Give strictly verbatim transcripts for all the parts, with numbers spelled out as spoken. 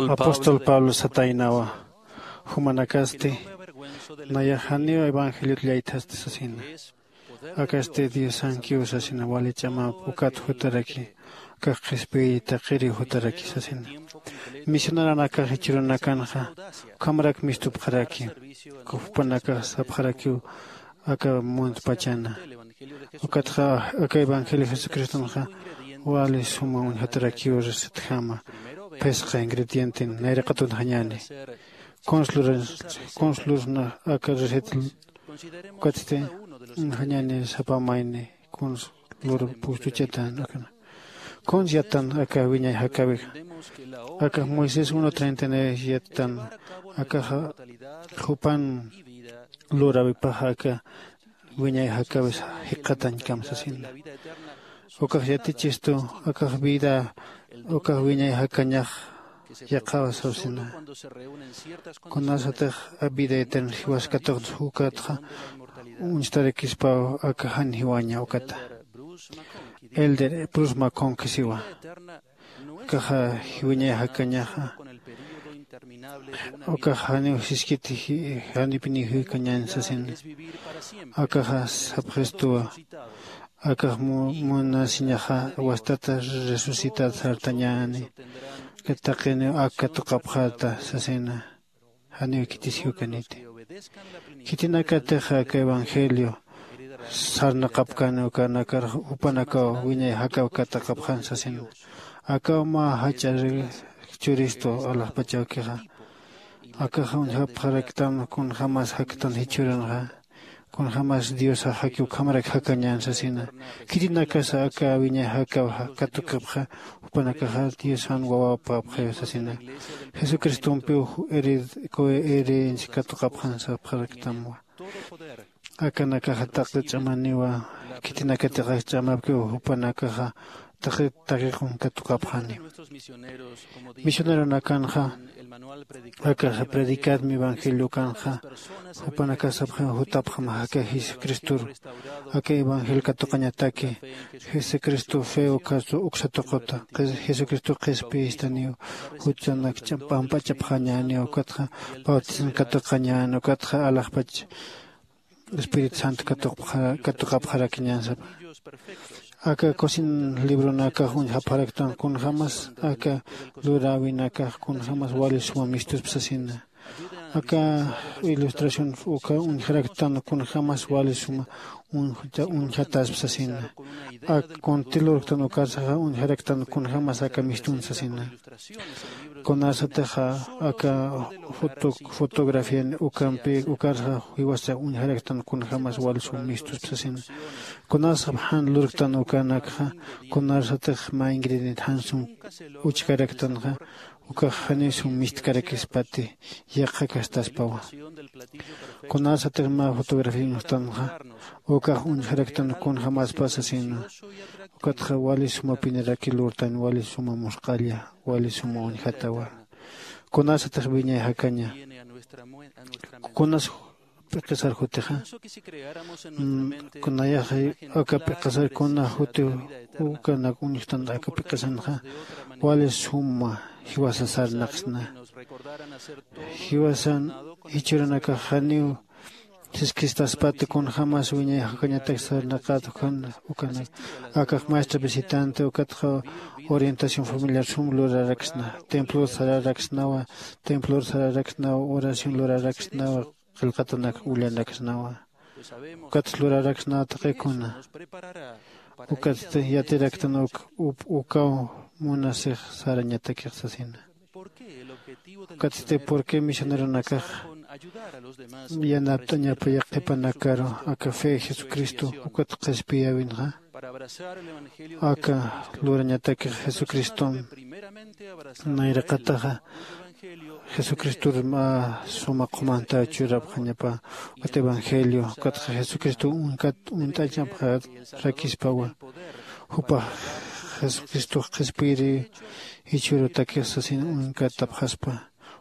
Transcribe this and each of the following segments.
Apóstol Pablo sataynawa, jumanakasti nayax janiw evangeliot llaythasti sasina. Akasti diosankiw sasina, wali ch'amap ukat jutaraki, akax qhispiy taqiriw jutaraki sasina. Misioneronakax jichhürunakanxa ukhamarak mistupxaraki, jupanakax sapxarakiw aka muntpachana. Ukatxa aka evangelio jesucristonxa wali suma uñjatarakiw recetjama. Phisqa ingredienten nayraqat uñjañäni. Kuns lurasna aka receta? Ukatsti uñjañäni sapa mayni kuns lur pustuchatan. Kuns yatan aka wiñay jakäwixa? Akax moisés uno treinta y nueve yatan. Akaxa jupan luräwipaxa aka wiñay jakäwis jikxatañkam sasina. Ukax yatichistu akax vida, ukax wiñay jakañax yaqhawa sasina. Kunasatix vida eterna jiwas katuqta ukatxa uñstarakispaw aka jan jiwaña ukata. Elder brusma conquisiwa, ukaxa wiñay jakañaxa ukax janiw siskiti janipiniw jikañän sasina. Akaxa sapxistuwa, akax munasiñaxa wastata resucitat sartañäni. Taqiniw ak katuqapxäta sasina. Janiw khitis jiwkaniti. Khitinakatix aka evangelio sarnaqapkani ukanakar jupanakaw wiñay jakaw katuqapxan sasina. Akaw mä jach'a churistu alaxpachawkixa. Akaxa uñjapxaraktan kunjämas jaktan jichhürunxa, kunjämas diosax jaki ukhamarak jakañän sasina. Khitinakasa aka wiñay jakaw katuqapxa jupanakaxa diosan wawapapxiw sasina. Jesucristompiw herencia katuqapxan sapxaraktamwa. Akanakaxa taqi ch'amaniwa. Khitinakatixax ch'amapkiw jupanakaxa taqi taqiqun katuqapxani. Misioneronakanxa akaxa predicadmi evangeliokanxa jupanakax sapxiw jutapxam jaka jesucristor. Aka evangelio katuqañataki jesucristo fe ukastu uksa tuquta jesucristo qhispiyistaniw. Juchanak pampachapxañäniw ukatxa bautizan katuqañän ukatxa alaxpach espíritu santo katuqapxarakiñän sapa. Aka cocina libronakax uñjapxaraktan kunjämas aka luräwinakax kunjämas wali suma mistuspa sasina. Aka ilustración uka uñjaraktan kunjämas wali suma uñjataspa sasina. Ak kunti lurktan ukarsaxa uñjaraktan kunjämas aka mistun sasina. Kunasatixa aka fotografian ukampi ukarxa jiwasa uñjaraktan kunjämas wali sum mistuspa sasina. Kunasap jan lurktan ukanakxa kunasatix mä ingrediente jan sum uchkaraktanxa ukax janiw sum mistkarakispati yaqha kastaspawa. Kunasatix mä fotografía uñjtanxa ukax uñjaraktan kunjämaspa sasina. Ukatxa wali suma piniraki lurtan wali suma musq'alla wali suma uñjatawa. Kunasatix wiñay jakaña kunas p'iqisar jutixa? Kunayaxa aka p'iqisar kuna juti ukanak uñjtan aka p'iqisanxa wali suma jiwasa sarnaqsna. Jiwasan jichhürunakax janiw siskistaspati kunjämas wiñay jakañatak sarnaqat ukan ukanak. Akax maestra visitante ukatxa orientación familiar sum luraraksna. Templor sararaksnawa. Templor sararaksnawa oración luraraksnawa. Qillqatanak ullanaksnawa. Ukatsa luraraksnawa taqikuna. Ukatsti yatiraktan uk ukaw munasix sarañatakix sasina. Ukatsti purqui misioneronakax yanapt'añapaya qhipanakaru aka fe jesucristo ukat qhispiyäwinxa aka lurañatakix jesucriston nayraqataxa jesucristor mä suma qhumantaw churapxañapa. Ukat evangelio ukatxa jesucristo uñkat uñt'añapxarakispawa. Jupax jesucristox qhispiyiri jichhürutakix sasin uñkatapxaspa.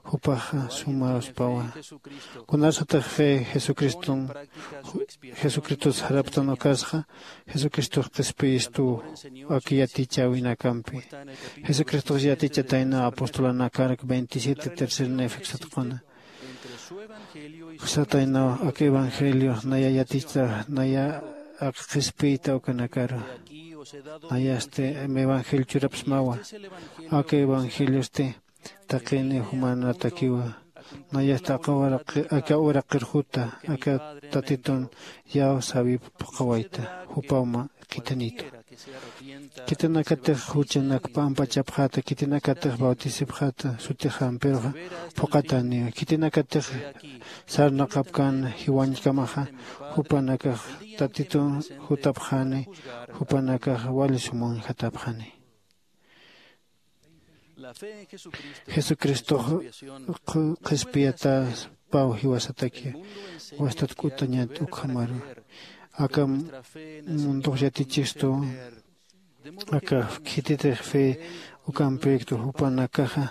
Jupaxa sumaruspawa. Kunasatix fe jesucriston jesucristos jaraptan ukasxa jesucristox qhispiyistuw. Ak yatichäwinakampi jesucristox yatichatayna apostolanakark veintisiete tercer nefeksatquna sataynaw ak evangelio naya yatichta naya ak qhispiyta ukanakaru. Nayasti evangelio churapsmawa. Ak evangeliosti taqini jumanatakiwa. Nayasti aka uraqirjuta aka tatitun yaw sawip phuqhawayta jupawma. Khithanitu khitinakatix juchanak p'amp'achapxäta khitinakatix bautisipxäta sutixampiruxa phuqhataniwa khitinakatix sarnaqapkän jiwañkamaxa jupanakax tatitun jutapxani jupanakax wali sumaw jatapxani. Jesucristox qhispiyatäspaw jiwasataki wastat k'utañat ukhamaru aka mundox yatichistu. Aka khititix fe ukampïktu jupanakaxa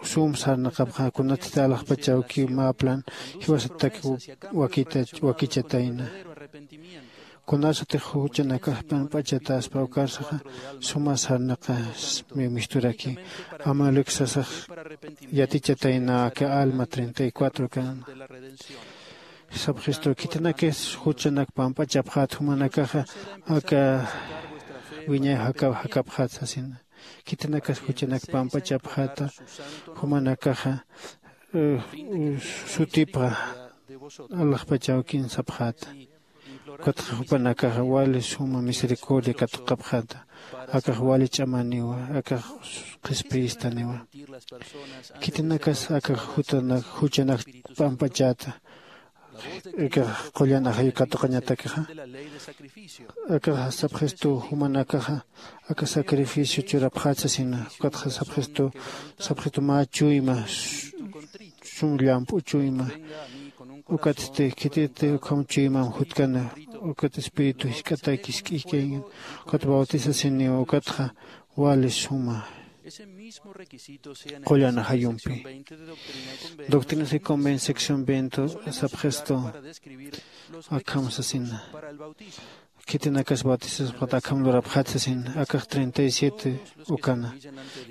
sum sarnaqapxa kunatsti alaxpachawkiw mä plan jiwasatak wakichatayna. Kunasatix juchanakax p'amp'achatäspa ukarsaxa suma sarnaqas misturaki amaluk sasax yatichatayna aka alma treinta y cuatro kan. Sapxistu khitinakis juchanak pamp'achapxät jumanakaxa aka wiñay jakapxät sasina. Khitinakas juchanak pamp'achapxäta jumanakaxa sutipxa alaxpachawkin sapxäta. Ukatxa jupanakaxa wali suma misericordia katuqapxäta. Akax wali ch'amaniwa akax qhispiyistaniwa. Khitinakas akax juchanak p'amp'achäta akax qullan ajayu katuqañatakixa. Akax sapxistu jumanakaxa aka sacrificio churapxät sasina. Ukatxa sapxistu sapxistu mä chuyma sum llamp'u chuyma. Ukatsti khititi ukham chuymam jutkana ukat espíritu jisk'atayki jisk'ikayngin ukat bautisasiniw ukatxa wali suma qullan ajayumpi. Doctrinas y convención veinte sapxistu akham sasina. Khitinakas bautisaspat akham lurapxat sasin akax treinta y siete ukana.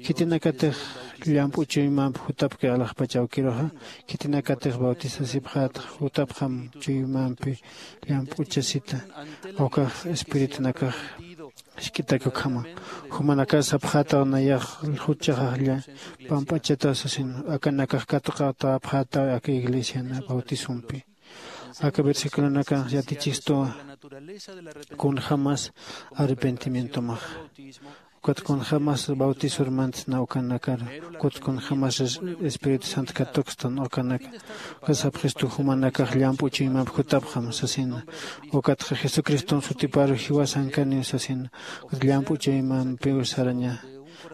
Khitinakatix llamp'u chuymamp jutapki alaxpach awkiruxa khitinakatix bautisasipxat jutapxam chuymampi llamp'uchasita. Ukax espiritunakax jisk'itak ukhama jumanakas sapxataw nayax juchaxaxlla pamp'achataw sasin akanakax katuqatäpxataw aka iglesiana bautisompi. Aka versiculonakanx yatichistuwa kunjämas arrepentimientomax ukat kunjämas bautisormantsna ukanakar ukat kunjämas espíritu sant katukstan ukanaka. Ukat sapxistu jumanakax llamp'u chuymamp jutapxam sasina. Ukatxa jesucriston sutiparu jiwasankaniw sasina. Ukat llamp'u chuymampiw saraña.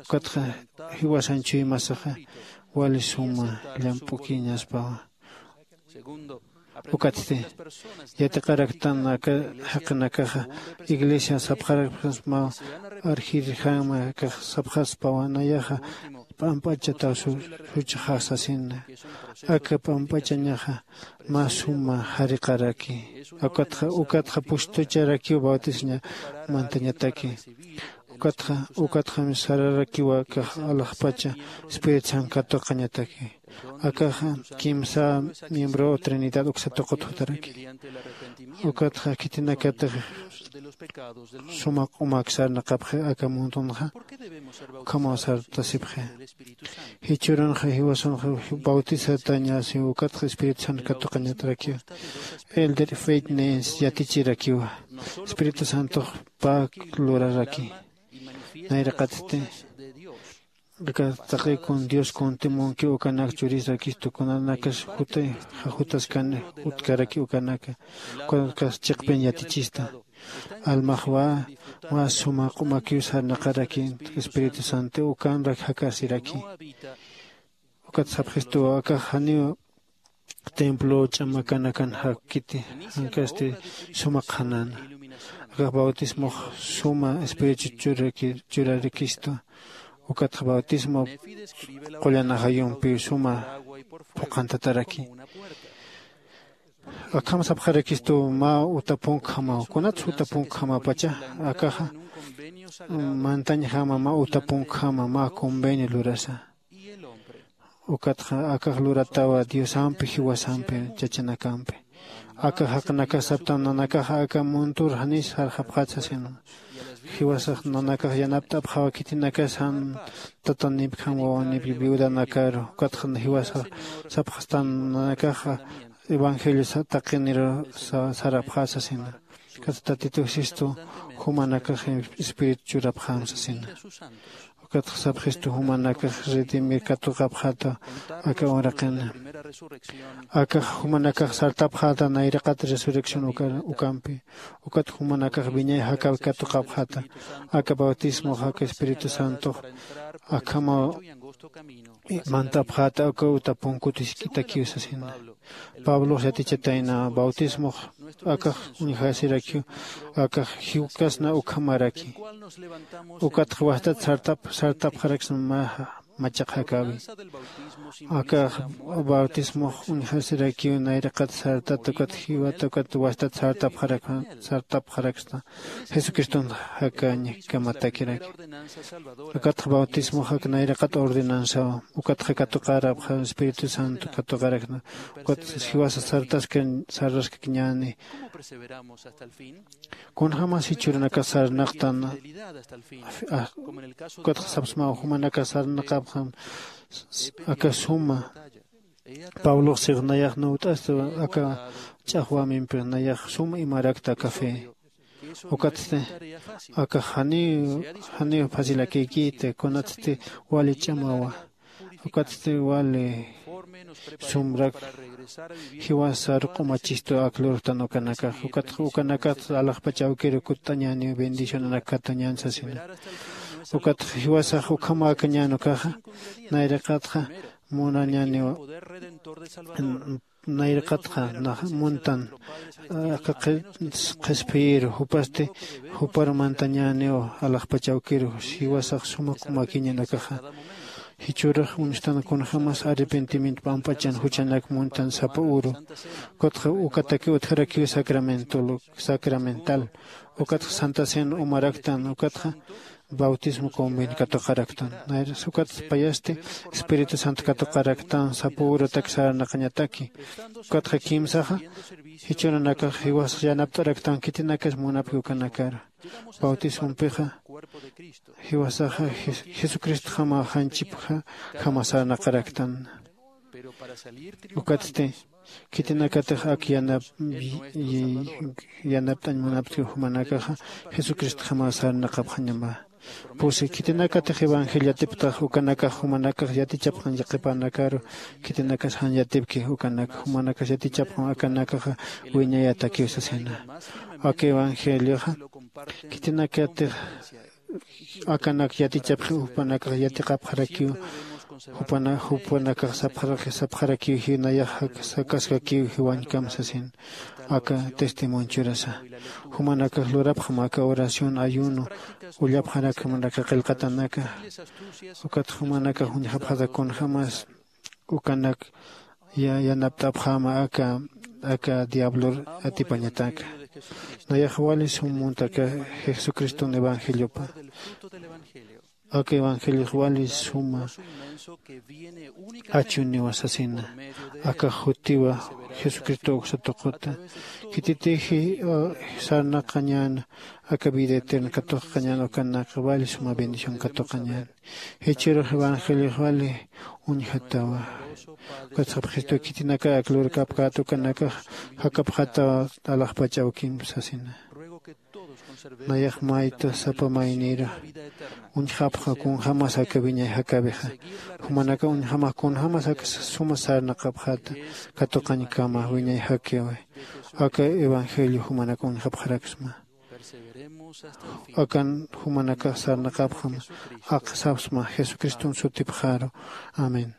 Ukatxa jiwasan chuymasaxa wali suma llamp'ukiñaspawa. Ukatsti yatiqaraktan aka jaqinakaxa iglesia sapxarakpxasmaw arjirjama akax sapxaspawa nayaxa p'amp'achataw suchxax sasina. Aka p'amp'achañaxa mä suma jariqaraki. Ukatxa ukatxa pustucharakiw bautisoña mantañataki. Ukatxa ukatxam sararakiwa akax alaxpacha espíritu santo katuqañataki. Akaxa kimsa miembro trinidad uksa tuqut jutaraki. Ukatxa khitinakatix suma q'umak sarnaqapxi aka mundunxa ukhamaw sartasipxi. Jichhürunxa jiwasanxa bautisatañasiw ukatxa espíritu santo katuqañatarakiwa. Elder feitnes yatichirakiwa espíritu santox pä luraraki. Nayraqatsti aka taqi kun dios kuntimunkiw ukanak churisrakistu kunanakas juta jajutaskan utkaraki ukanaka. Ukakas chiqpin yatichista almaxwa mä suma q'umakiw sarnaqaraki espíritu santo ukanrak jakasiraki. Ukat sapxistuwa akax janiw templo ch'amakanakan jakkiti jankasti suma qhanana. Akax bautismox suma espíritu churarikistu. Ukatxa bautismo qullan ajayumpi suma phuqhantataraki. Akham sapxarakistu mä uta punkhjamaw kunatsa uta punkhjamapacha akaxa mantañjama mä uta punkhjama mä convenio lurasa. Ukatxa akax luratawa diosampi jiwasampi chachanakampi. Aka jaqinakax saptan nanakaxa aka muntur janis jarxapxat sasin. Jiwasax nanakax yanapt'apxawa khitinakas jan tatanipjam wawanip viudanakaru. Ukatxa jiwasax sapxastan nanakaxa evangelio taqiniru sarapxat sasina. Ukatxa tatitu sistu jumanakax espíritu churapxam sasina. Ukatxa sapxistu jumanakax redimir katuqapxata aka uraqina. Akax jumanakax sartapxata nayraqat resurrección ukampi. Ukat jumanakax wiñay jakawi katuqapxata. Aka bautismox aka espíritu santox akhamaw mantapxata aka uta punkut jisk'itakiw sasina. Pablox yatichatayna bautismox akax uñjasirakiw akax jiwkasna ukhamaraki. Ukatxa wastat sartap sartapxaraksna mä machaq jakäwi. Akax bautismox uñjasirakiw nayraqat sartat ukat jiwat ukat wastat sartapxaraksna. Jesucriston jakañkamatakirak. Ukatxa bautismox ak nayraqat ordenanzaw. Ukatxa katuqarapxa espíritu santo katuqarakna. Ukat jiwasa sartaskir sarraskkiñäni. Kunjämas jichhürunakax sarnaqtan. Ukatxa sapsmaw jumanakax sarnaqapxam aka suma. Pablox six nayax nuwt'asta aka ch'axwämimpi nayax suma imarakta aka fe. Ukatsti akax janiw janiw facilakïkïta kunatsti wali ch'amawa. Ukatsti wali sumrak jiwasar q'umachistu ak lurtan ukanakax. Ukatxa ukanakatsa alaxpach awkiru kutt'añäniw bendicionanak katuñän sasina. Ukatxa jiwasax ukhamäkañän ukaxa nayraqatxa munañäniw nayraqatxa nax muntan aka qhispiyiru jupasti jupar mantañäniw alaxpach awkiru jiwasax suma q'umakiñän akaxa. Jichhürux uñstan kunjämas arrepentimiento pamp'achan juchanak muntan sapa uru. Ukatxa ukataki utjarakiw sacramental sacramental. Ukatxa santa cena umaraktan ukatxa bautismo convent katuqaraktan. Nayras ukatxa payasti espíritu santo katuqaraktan sapa urutak sarnaqañataki. Ukatxa kimsaxa jichhürunakax jiwasax yanapt'araktan khitinakas munapki ukanakaru. Bautismompixa jiwasaxa jesucristjama janchipjama sarnaqaraktan. Ukatsti khitinakatix ak yanap yanapt'añ munaptki jumanakaxa jesucristjama sarnaqapxañama. Pusi khitinakatix evangelio yatiptax ukanakax jumanakax yatichapxañ qhipanakaru. Khitinakas jan yatipki ukanak jumanakax yatichapxam akanakaxa wiñayatakiw sasina. Aka evangelioxa khitinakatix akanak yatichapxi jupanakax yatiqapxarakiw. Jupanakax sapxarakiw jiw nayax sakaskakiw jiwañkam sasin. Aka testimonio churasa jumanakax lurapxam aka oración ayuno ullapxarakxam aka qillqatanaka. Ukat jumanakax uñjapxata kunjämas ukanak yanapt'apxäma aka aka diablor atipañataka. Nayax wali sum muntaka jesucriston evangeliopa. Aka evangeliox wali suma achuniwa sasina. Aka jutiwa jesucristo uksa tuquta khititixi sarnaqañäna aka vida eterna katuqañäna ukanaka wali suma bendición katuqañäna. Jichhürux evangeliox wali uñjatawa. Ukatxa jesucristo khitinaka ak lurkapkät ukanakax jakapxataw alaxpach awkim sasina. Nayax mayta sapa mayniru uñjapxa kunjämas aka wiñay jakäwixa. Jumanaka uñjamax kunjämas aka suma sarnaqapxäta katuqañkama wiñay jakäwi. Aka evangelio jumanaka uñjapxaraksma. Akan jumanakax sarnaqapxam aka sapsma jesucriston sutipxaru. Amén.